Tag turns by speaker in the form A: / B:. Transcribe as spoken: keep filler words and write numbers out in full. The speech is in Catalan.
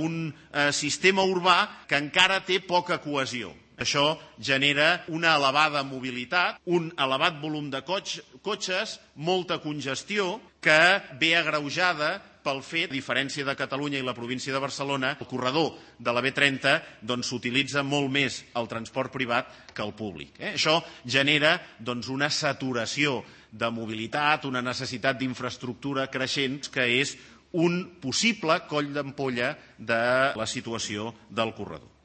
A: un eh, sistema urbà que encara té poca cohesió. Això genera una elevada mobilitat, un elevat volum de cotxes, molta congestió que ve agreujada pel fet, a diferència de Catalunya i la província de Barcelona, el corredor de la B trenta doncs, s'utilitza molt més el transport privat que el públic. Eh? Això genera doncs, una saturació de mobilitat, una necessitat d'infraestructura creixent que és un possible coll d'ampolla de la situació del corredor.